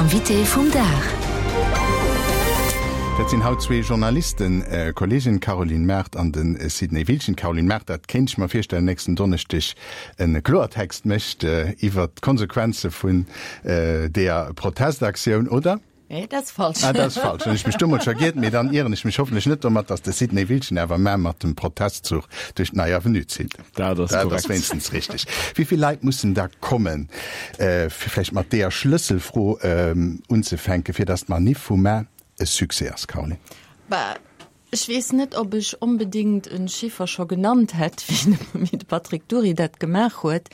Invité vum Dag. Dat sinn haut zwee Journalisten, Kolleegen, d'Caroline Mart an de Sidney Wiltgen. D'Caroline Mart, dat kéint ech mer virstellen, nächsten Donneschdeg e Kloertext mécht iwwert d'Konsequenze vun deeër Protestaktioun, oder? Nee, dat ass falsch. Ah, dat ass falsch. Hunn ech mech do mol scho giert, mee dann ieren ech mech hoffentlech net domat, datt de Sidney Wiltgen awer mar mat dem Protestzuch duerch d'Nei Avenue zitt. Dat ass Dat ass korrekt. wéinstens richteg. Wéi vill Leit mussen da kommen, fir vläicht mat deeër Schlësselfro unzefänken, fir datt d'Manif vu mar e Succès ass, Caroline? Bah, ech weess net, ob ech onbedéngt e Chiffer scho genannt hätt, wéi de Patrick Dury dat gemaach huet.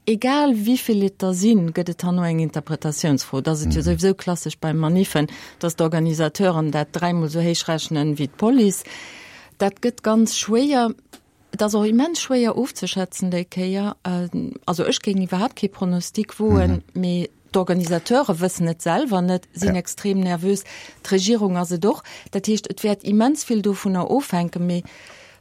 Egal wéi vill et der sinn, gëtt et herno eng Interpretatiounsfro. Et ass et jo souwisou klassesch bei Maniffen, datt d'Organisateuren dat dräimol esou héich rechnen wéi d'Police. Dat gëtt ganz schwéier. Et ass och immens schwéier ofzeschätzen déi Kéier. Also ech géing iwwerhaapt kee Pronostic woen, mee d'Organisateure wëssen et selwer net, sinn extrem nervös. D'Regierung ass et och. Dat heescht, et wäert immens vill dovunner ofhänken. Mee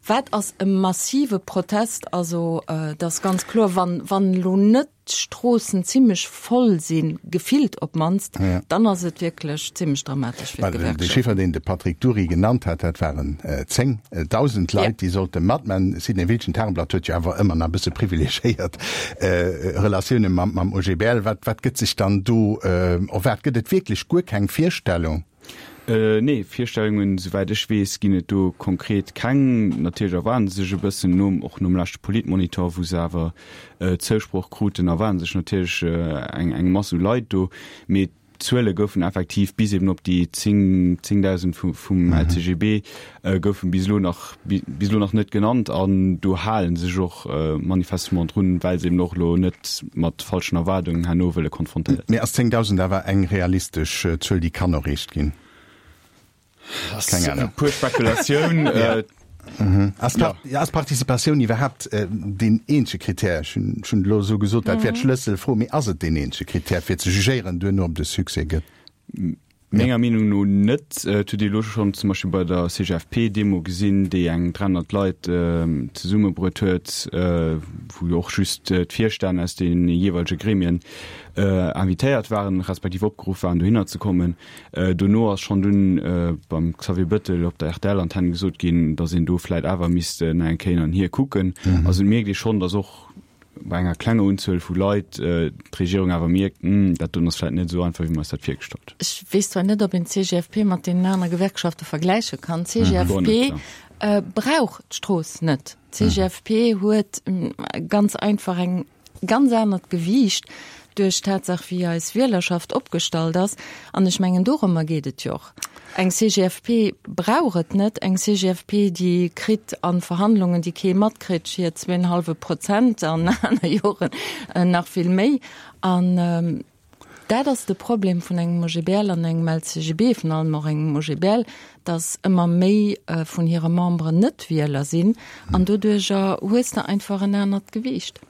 wat ass e massive Protest? Also et ass ganz kloer, wann, wann elo net d'Stroossen zimmlech voll sinn, gefillt op d'mannst, dann ass et wierklech zimmlech dramatesch fir d'Gewerkschaft. De Chiffer, deen de Patrick Dury genannt hat, dat waren 10.000 Leit, déi sollte matman. Sidney Wiltgen, D'Tageblatt huet jo awer ëmmer nach e bësse privilegiéiert Relatioune mam OGBL. Wat, wat gëtt sech dann do erwaart? Gëtt et wierklech guer keng Virstellung? Nee, Virstellungen, souwäit ech weess, ginn et do konkret keng. Natierlech erwaarden se sech e bëssen, nom, och nom leschte Politmonitor, wou se awer Zousproch kruten, erwaarden sech natierlech eng, eng Mass u Leit do. Mee d'Zuele goufen effektiv bis eben op déi 10, 10.000 vu, vum LCGB goufen bis elo nach, bis elo nach net genannt. An do hale sech och manifestement drun, well se eben och elo net mat falschen Erwaardungen herno wëlle konfrontéiert Mee ass 10.000 awer eng realistesch Zuel, déi kann erreecht ginn? Keng Ahnung. Puer Spekulatioun. Ass ja. Participatioun iwwerhaapt deen eenzege Krittär? Ech hunn schonn elo esou gesot, dat wär d'Schlësselfro, mee ass et deen eenzege Krittär, fir ze jugéieren duerno, ob et e Succès gëtt? Menger Meenung no net. Et huet ee elo schonn zum Beispill bei der CGFP-Demo gesinn, déi eng 300 Leit zesummebruet huet, wou jo och just d'Virstänn aus de jeeweilege Gremien invitéiert waren, respektiv opgeruff waren, dohinner ze kommen. Dono ass schonn dunn beim Xavier Bettel op der RTL-Antenn gesot ginn, datt een do vläit awer misst nach eng Kéier hin an hier kucken. Also et mierkt ee schonn, datt och bei enger klenger Unzuel vu Leit d'Regierung awer mierkt, Hm, dat doen ass vläit net esou einfach, wéi mer eis dat virgestallt hunn. Ech weess zwar net, ob een d'CGFP mat deenen anere Gewerkschafte vergläiche kann. D'CGFP brauch d'Strooss net. D'CGFP huet ganz einfach eng ganz anert Gewiicht duerch d'Tatsaach, wéi eis Wielerschaft opgestallt ass. An ech mengen, dorëmmer geet et jo och. Eng CGFP brauch et net. Eng CGFP, déi kritt a Verhandlungen, déi kee matkritt, hir zweenhallwe Prozent an aner Joren nach vill méi. An dat ass de Problem vun engem OGBL an engem LCGB, virun allem och engem OGBL, datt ëmmer méi vun hire Memberen net Wieler sinn. An doduerjer hues de einfach en anert Gewiicht.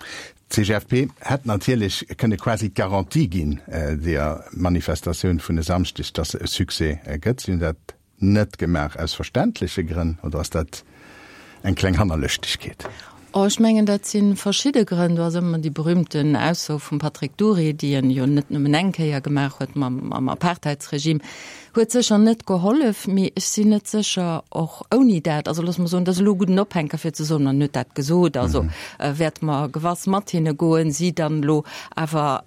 D'CGFP hätt natierlech kënne quasi d'Garantie ginn, deeër Manifestatioun vun e Samschdeg, datt se e Succès gëtt. Si hunn dat net gemaach, aus verständleche Grënn, oder ass dat eng kleng Hannerlëschtegkeet? Oh, ech mengen, dat si verschidde Grënn. Do ass ëmmer déi berühmten Ausso vum Patrick Dury, déi en jo net nëmmen eng Kéier gemaach huet mam Apartheidsregime, huet sécher net gehollef, mee ech sinn net sécher, och ouni dat, also loosse mer soen, dat ass elo e gudden Ophänker fir ze soen, en huet dat gesot, also wäerte mer gewass mat hinne goen, si dann elo awer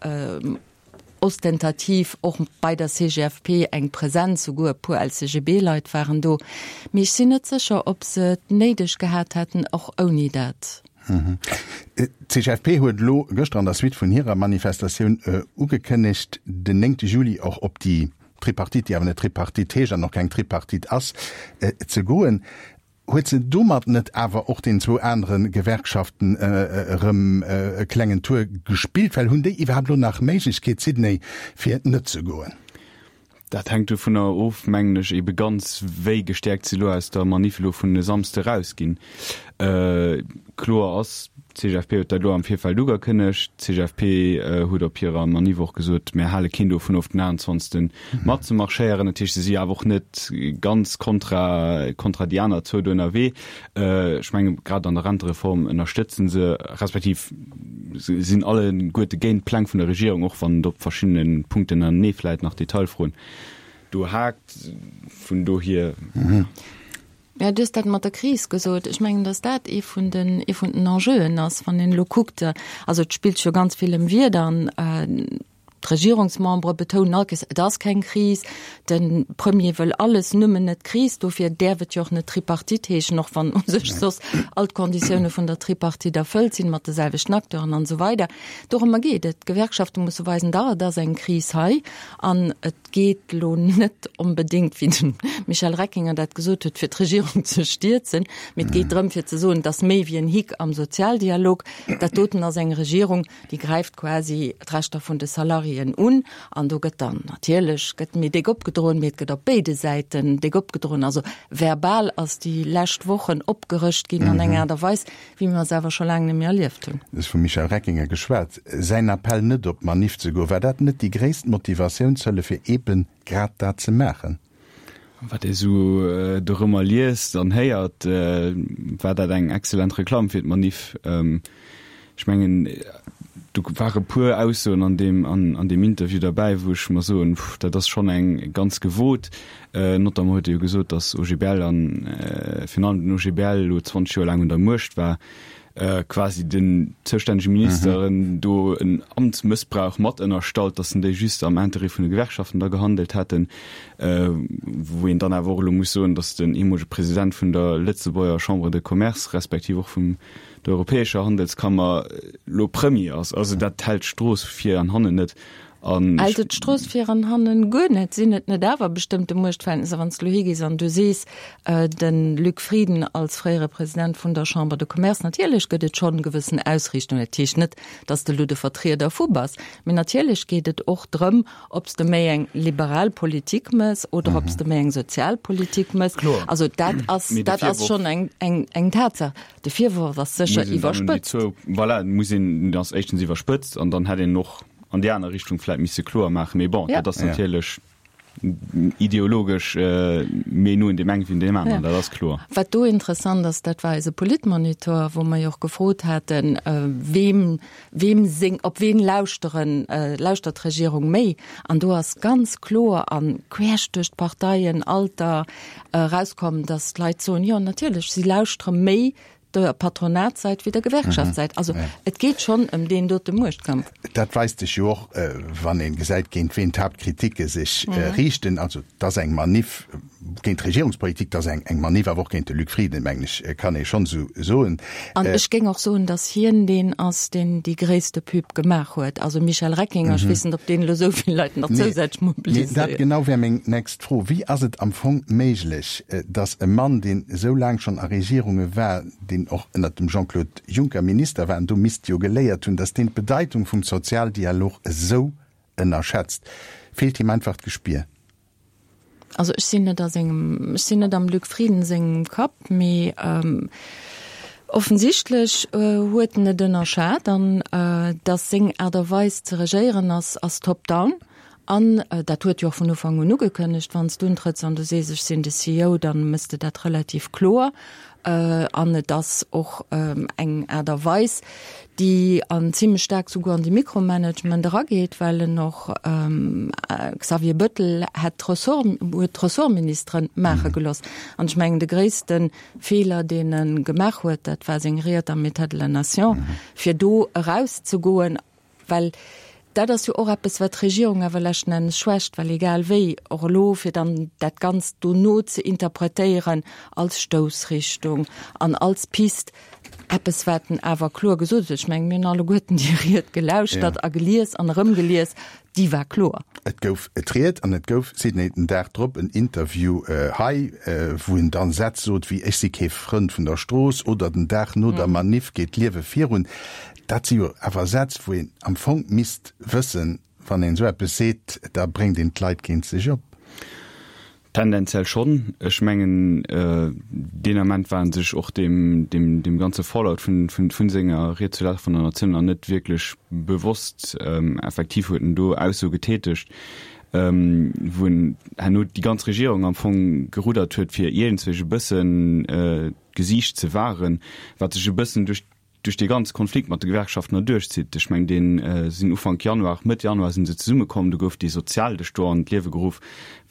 ostentativ och bei der CGFP eng Präsenz, souguer e puer LCGB-Leit waren do, mee ech sinn net sécher, ob se et néideg gehat hätten, och ouni dat. D'CGFP huet elo gëschter an der Suite vun hirer Manifestatioun ugekënnegt, den néngte Juli och op déi Tripartite, déi awer net Tripartite heescht an och keng Tripartite ass, ze goen. Huet se domat net awer och den zwou anere Gewerkschaften erëm e klengen Tour gespillt? Well hunn déi iwwerhaapt elo nach Méiglechkeet, Sidney, fir net ze goen? Dat hänkt dovunner of, mengen ech, ebe ganz, wéi gestäerkt se elo aus der Maniff elo vun e Samsde erausginn. Kloer ass. D'CGFP huet dat elo am Virfeld ugekënnegt. D'CGFP huet op hirer Maniff och gesot, Mär hale keen dovun of, den 28. matzemarschéieren. Dat heescht, se si awer och net ganz kontra, kontra déi aner zwou do ënnerwee. Ech menge grad an der Rentereform ënnerstëtze se, respektiv se sinn alleguerte géint d'Pläng vun der Regierung, och wann et op verschiddene Punkten anenee vläit nach Detailfroen do haakt. Vun dohier. Jo, du hues dat mat der Kris gesot. Ech mengen, datt dat ee vun den, ee vun den Enjeuen ass, wann een elo kuckt, also et spillt sech jo ganz vill ëm Wieder an d'Regierungsmembere betounen all Kees, et ass keng Kris, de Premier wëll alles, nëmmen net d'Kris. Dofir däerf et jo och net Tripartite heeschen, och wann u sech soss all d'Konditioune vun der Tripartite erfëllt sinn, mat de selwechten Acteuren an esou weider. Dorëmmer geet et. D'Gewerkschafte musse weisen, dach, et ass eng Kris hei an et geet elo net onbedéngt, wéi de Michel Reckinger dat gesot huet, fir d'Regierung ze stierzen, mee et geet drëm fir ze soen, et ass méi wéi en Hick am Sozialdialog. Dat doten ass eng Regierung, déi gräift quasi d'Rechter vun de Salariéen un an do gëtt dann natierlech gëtt méi déck opgedroen, mee et gëtt op béide Säiten déck opgedroen. Also verbal ass déi lescht Wochen opgerëscht ginn an enger Aart a Weis, wéi mer se awer scho laang net méi erlieft hunn. Du hues vum Michel Reckinger geschwat. Säin Appell net op d'Maniff ze goen, war dat net déi gréisst Motivatiounshëllef fir eeben grad dat ze maachen? Wat ee sou dorëmmer liest an héiert, war dat eng excellent Reklamm fir d'Maniff. Ech mengen, do ware puer Aussoen an deem, an deem Interview derbäi, wou ech mer soen, pff, dat ass schonn eng ganz gewot. Notamment huet e jo gesot, datt OGBL an virun allem den OGBL elo 20 Joer laang un der Muecht war, quasi den zoustännege Ministeren do en Amtsmëssbrauch mat ënnerstallt, datt en déi just am Interêt vun de Gewerkschaften da gehandelt hätten, wou een dann awer och elo muss soen, datt den ehemolege President vun der Lëtzebuerger Chambre de Commerce respektiv och vum der Europäescher Handelskammer elo Premier ass. Also dat hält d'Strooss vir an hannen net. An Hält et d'Strooss vir an hannen guer net? Sinn et net awer bestëmmte Muechtverhältnisser, wann s de elo higees an du sees, de Luc Frieden als fréiere President vun der Chambre de Commerce, natierlech gëtt et schonn gewëssen Ausriichtungen, dat heescht net, datt s de elo de Vertrieder vu bass, mee natierlech geet et och drëm, ob s de méi eng liberal Politik mëss oder ob s de méi eng sozial Politik mëss. Also dat ass, dat ass schonn eng, eng, eng Tatsaach. De Virworf ass sécher iwwerspëtzt. Voilà, muss een, ass éischtens iwwerspëtzt an dann hätt een och an déi aner Richtung vläit misse kloer maachen. Mee bon, dat ass natierlech ideologesch méi no un deem engen wéi un deem aneren, dat ass kloer. Wat do interessant ass, dat war eise Politmonitor, wou mer jo och gefrot haten, weem, weem seng, op ween lauschteren, lauschtert d'Regierung méi? An do ass ganz kloer a queesch duerch d'Parteien, Alter, erauskomm, datt d'Leit soen, jo natierlech, si lauschtere méi der Patronatssäit wéi der Gewerkschaftssäit. Also et geet schonn ëm deen dote Muechtkampf. Dat weist sech jo och, wann ee gesäit, géint ween d'Haaptkriticke sech riichten. Also et ass eng Maniff géint d'Regierungspolitik, et ass eng Maniff awer och géint de Luc Frieden, mengen ech, kann ee schonn esou soen. An ech géing och soen, datt hien deen ass, deen déi gréisste Pub gemaach huet. Also Michel Reckinger, ech weess net, ob deen elo esou vill Leit nach zousätzlech mobiliséiert. Mee dat genau wär meng nächst Fro, Wéi ass et am Fong méiglech, datt e Mann, deen esou laang schonn a Regierunge war, deen och ënnert dem Jean-Claude Juncker Minister war an do misst jo geléiert hunn, datt deen d'Bedeitung vum Sozialdialog esou ënnerschätzt? Feelt him einfach d'Gespier? Also ech sinn net a sengem, ech sinn net am Luc Frieden sengem Kapp, mee offensichtlech huet en et ënnerschat an datt seng Aart a Weis ze regéieren ass, ass top-down. An dat huet jo och vun Ufank un ugekënnegt, wann s du untrëtts an du sees, ech sinn de CEO, da mëss de dat relativ kloer. An et ass och eng Aart a Weis, déi an zimlech staark souguer an de Mikromanagement erageet, well en och Xavier Bëttel hätt d'Ressort, huet d'Ressortministere maache gelooss. An ech mengen, de gréisste Feeler, deen e gemaach huet, dat war seng Ried am État de la Nation, fir do erauszegoen Well dat ass jo och eppes, wat d'Regierung awer leschten Ennes schwächt, well egal wéi, och elo, fir dann dat Ganzt dono ze interpretéieren als Stoussrichtung an als Pist, eppes, wat en awer kloer gesot huet, ech mengen, mir hunn alleguerten déi Ried gelauschtert a gelies an erëmgelies, déi war kloer. Et gouf d'Ried an et gouf, Sidney, den Dag drop en Interview hei, wou en dann Sätz sot wéi Ech si kee Frënd vun der Strooss oder Den Dag no der Maniff geet d'Liewe virun. Dat si jo awer Sätz, wou een am Fong misst wëssen, wann een esou eppes seet, da bréngt een d'Leit géint sech op. Tendenziell schonn. Ech mengen, deen Ament war en sech och deem, deem, deem ganze Fallout vun, vun, vun senger Ried zur Lag vun der Natioun nach net wierklech bewosst. Effektiv huet en do Aussoe getätegt, wou en herno déi ganz Regierung am Fong geruddert huet, fir iergendzwéi e bëssen d'Gesiicht ze wahren, wat sech e bëssen duerch duerch dee ganze Konflikt mat de Gewerkschaften erduerchzitt. Ech mengen, dee sinn Ufank Januar, Mëtt Januar si se zesummekomm, do gouf dee Sozialdësch do an d'Liewe geruff,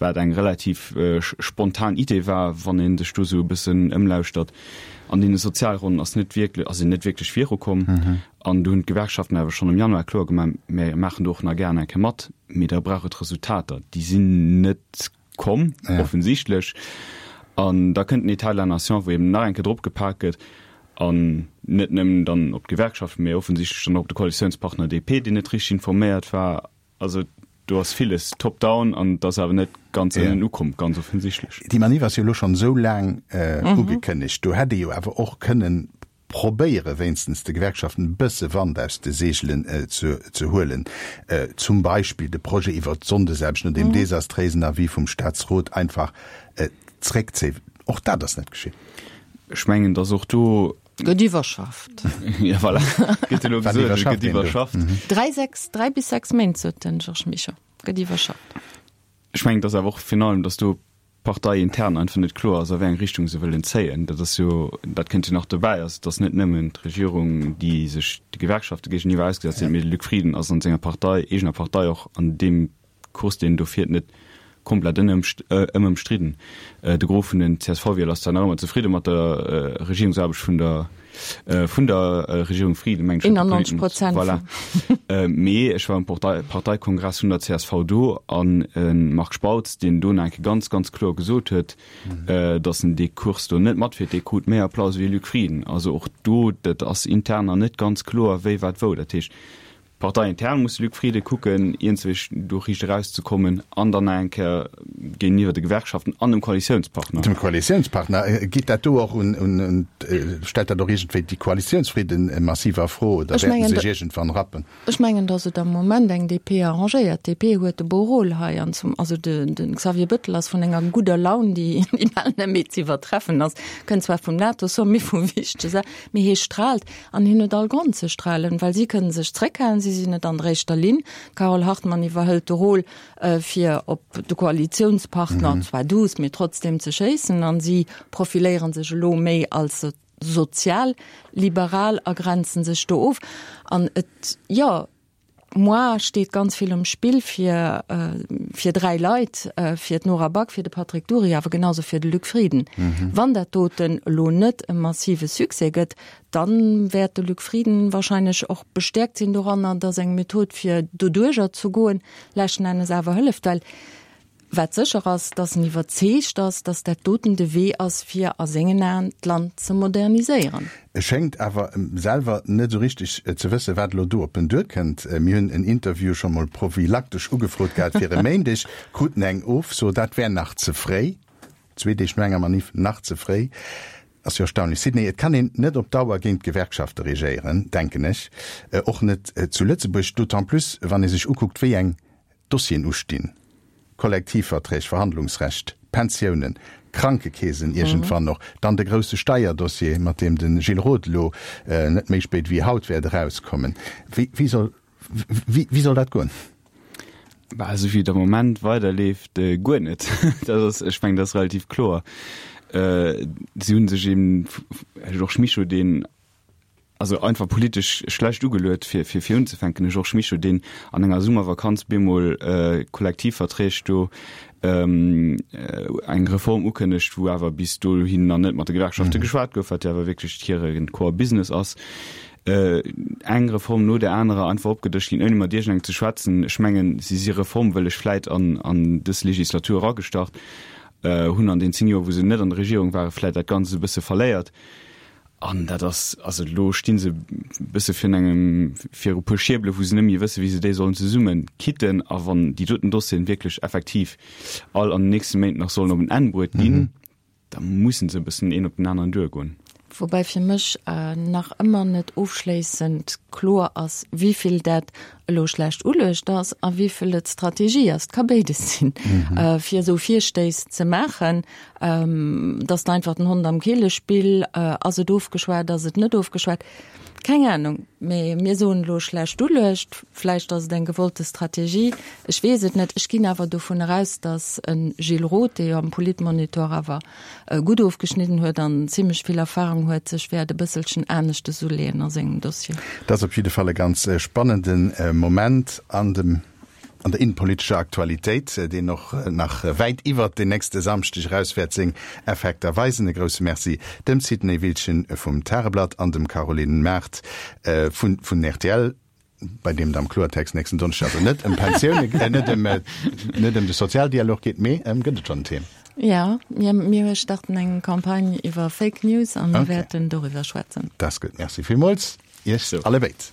wat eng relativ spontan Idee war, wann ee sech do esou e bëssen ëmlauschtert. An deene Sozialronnen ass net wierklech, ass een net wierklech virukomm. An do hunn d'Gewerkschaften awer schonn am Januar kloer gemaach, Mir maachen do och nach gären eng Kéier mat, mee da brauch et Resultater. Déi sinn net komm, ja. offensichtlech. An da kënnt den État de la Nation, wou eben nach eng Kéier drop gepak gëtt, an net nëmmen dann op d'Gewerkschaften, mee offensichtlech dann och op de Koalitiounspartner DP, deen net richteg informéiert war. Also do ass villes top-down an et ass awer net ganz ënnen ja. ukomm, ganz offensichtlech. Déi Manif ass jo elo schonn esou laang äh, mhm. ugekënnegt. Do hätt ee jo awer och kënnen probéiere wéinstens de Gewerkschaften e bësse Wand aus de Seegelen ze huelen, zum Beispill de Projet iwwert d'Sonndesaarbecht no deem desastréisen Avis vum Staatsrot einfach zréckzéien. Och dat ass net geschitt. Ech mengen, datt och do. Gëtt iwwerschafft. Jo, voilà, gëtt elo gesot, et gëtt iwwerschafft. Dräi, sechs, dräi bis sechs Méint, sot den Georges Mischo, gëtt iwwerschafft. Ech mengen, datt awer och virun allem, datt do Partei intern einfach net kloer ass, a wéi eng Richtung se wëllen zéien. Dat ass jo, dat kënnt jo nach dobäi. Also et ass net nëmmen d'Regierung, déi sech de Gewerkschafte géigeniwwer ausgesetzt huet, mee de Luc Frieden ass an senger Partei, eegener Partei och an deem Kurs, deen en do fiert, net komplett ëmstridden. De Gros vun den CSV-Wieler ass zwar nach ëmmer zefridde mat der Regierungsaarbecht vun der vun der Regierung Frieden, mengen ech, 91 Prozent. Voilà. Mee ech war um Parteikongress vun der csv do an e Marc Spautz, deen do nach eng Kéier ganz, ganz kloer gesot huet, datt en dee Kurs do net matfiert, dee krut méi Applaus wéi Luc Frieden. Also och do, dat ass intern nach net ganz kloer, wéi, wat, wou. Dat heescht, Parteiintern muss de Luc Frieden kucken, iergendwéi do riicht erauszekommen an dann nach eng Kéier géintiwwer de Gewerkschaften an dem Koalitiounspartner. Dem Koalitiounspartner. Geet dat do och un, stellt dat och iergendwéi déi Koalitiounsfridden massiv a Fro oder wäerten se sech iergendwann rappen? Ech mengen, datt et am Moment eng DP arrangéiert. D'DP huet de beau Rôle hei an zum, also de Xavier Bettel ass vun enger gudder Laun, déi bal net méi ze iwwertreffen ass, kënnt zwar vum NATO-Sommet, vu wichtege Sa, mee hie straalt. An hien huet all Grond ze strahlen, well si kënnen sech zréckhalen, si sinn net an der éischter Linn. D'Carole Hartmann iwwerhëlt de Rôle, fir op de Koalitiounspartner, zwar douce, mee trotzdem ze schéissen. An si profiléiere sech elo méi als sozialliberal a grenzen sech do of. An et, jo, Moi steet ganz vill um Spill fir fir 3 Leit, fir d'Nora Back, fir de Patrick Dury, awer genauso fir de Luc Frieden. Wann dat doten elo net e massive Succès gëtt, dann wäert de Luc Frieden wahrscheinlech och bestäerkt sinn doranner, datt eng Method fir doduerjer ze goen leschten Ennes awer hëlleft, well Wat sécher ass, datt en iwwerzeegt ass, datt dat doten de Wee ass, fir a sengen Aen d'Land ze moderniséieren. E schéngt awer selwer net esou richteg ze wëssen, wat elo do op en duerkënnt. Mir hunn en Interview scho mol prophylaktesch ugefrot gehat fir e Méindeg, kruten eng Ofso, dat wär nach ze fréi. Zwee Deeg no enger Manif, nach ze fréi. Ass jo erstaunlech. Sidney, et kann een net op Dauer géint d'Gewerkschafte regéieren, denken ech, och net zu Lëtzebuerg, d'autant plus wann ee sech ukuckt, wéi eng Dossieren ustinn, Kollektivverträg, Verhandlungsrecht, Pensiounen, Krankekeesen iergendwann och, dann de grousse Steierdossier, mat deem de Gilles Roth elo net méi spéit wéi haut wäert erauskommen. Wéi soll, wéi soll dat goen? Bah, esou wéi et am Moment weiderleeft, guer net. Dat ass, ech mengen, dat ass relativ kloer. Si hu sech eben, Här Georges Mischo, deen also einfach politesch schlecht ugeluet fir fir fir unzefänken, de Georges Mischo, deen an enger Summervakanz bemol Kollektivverträg do eng Reform ukënnegt, wou awer bis dohin nach net mat de Gewerkschafte geschwat gouf, wat jo awer wierklech hire Core Business ass, eng Reform no där anerer einfach opgedëscht ginn, ouni mat iergendengem ze schwätzen. Ech mengen, si si reformwëlleg vläit an an dës Legislatur eragestart, hunn an den 10 Joer, wou se net an der Regierung waren, vläit dat Ganzt e bësse verléiert. An dat ass, also elo sti se e bësse virun engem, viru e puer Schierbele wou se net méi wësse wéi se déi sollen zesumme kitten. A wann déi doten Dossieren wierklech effektiv all an den nächste Méint nach sollen op en Enn bruet ginn, da mussen se e bëssen een op den aneren duergoen. Woubäi fir mech nach ëmmer net ofschléissend kloer ass, wéi vill dat elo schlecht uluecht ass a wéi vill et Strategie ass. Et ka béides sinn, fir esou Virstéiss ze maachen, dass de einfach den Hond am Keelespill, ass et ofgeschwat, ass et net ofgeschwat? Keng Ahnung, mee mir soen elo schlecht uluecht, vläicht ass et eng gewollte Strategie, ech weess et net. Ech ginn awer dovun eraus, datt e Gilles Roth, dee jo am Politmonitor awer gutt ofgeschnidden huet an zimlech vill Erfahrung huet, sech wäert e bësselchen aneschtes uleeën a sengem Dossier. Dat ass op jidde Fall e ganz spannende Moment an dem an der innenpolitescher Aktualitéit, deen och nach wäit iwwert den nächste Samschdeg eraus wäert seng Effekter weisen. E grousse Merci dem Sidney Wiltgen vum Tageblatt an dem Caroline Mart vun vun rtl, bei deem et am Kloertext nächsten Donneschdeg also net ëm Pensioune, net ëm net ëm de Sozialdialog geet, mee ëm, gëtt et schonn en Thema? Jo, mir mir starten eng Campagne iwwer Fake News a mir wäerten doriwwer schwätzen. Dat ass gutt. Merci villmools Iech allebéid.